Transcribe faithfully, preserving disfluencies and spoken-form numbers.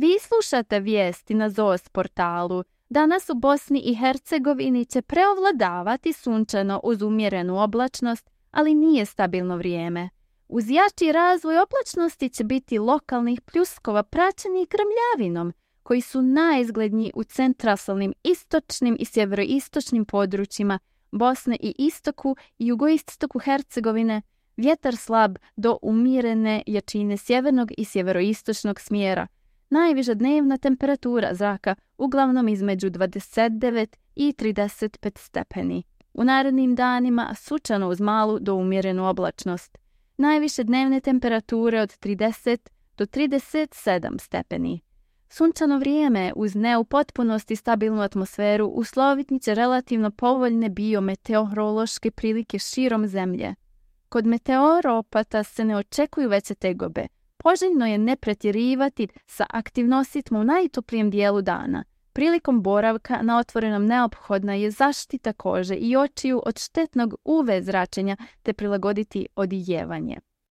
Vi slušate vijesti na Z O S portalu. Danas u Bosni i Hercegovini će preovladavati sunčano uz umjerenu oblačnost, ali nije stabilno vrijeme. Uz jači razvoj oblačnosti će biti lokalnih pljuskova praćenih grmljavinom, koji su najizgledniji u centralnim, istočnim i sjeveroistočnim područjima Bosne i istoku i jugoistoku Hercegovine. Vjetar slab do umjerene jačine sjevernog i sjeveroistočnog smjera. Najviša dnevna temperatura zraka uglavnom između dvadeset devet i trideset pet stepeni. U narednim danima sunčano uz malu do umjerenu oblačnost. Najviše dnevne temperature od trideset do trideset sedam stepeni. Sunčano vrijeme uz ne u potpunosti stabilnu atmosferu usloviti će relativno povoljne biometeorološke prilike širom zemlje. Kod meteoropata se ne očekuju veće tegobe. Poželjno je ne pretjerivati sa aktivnostima u najtoplijem dijelu dana. Prilikom boravka na otvorenom neophodna je zaštita kože i očiju od štetnog U V zračenja te prilagoditi odijevanje.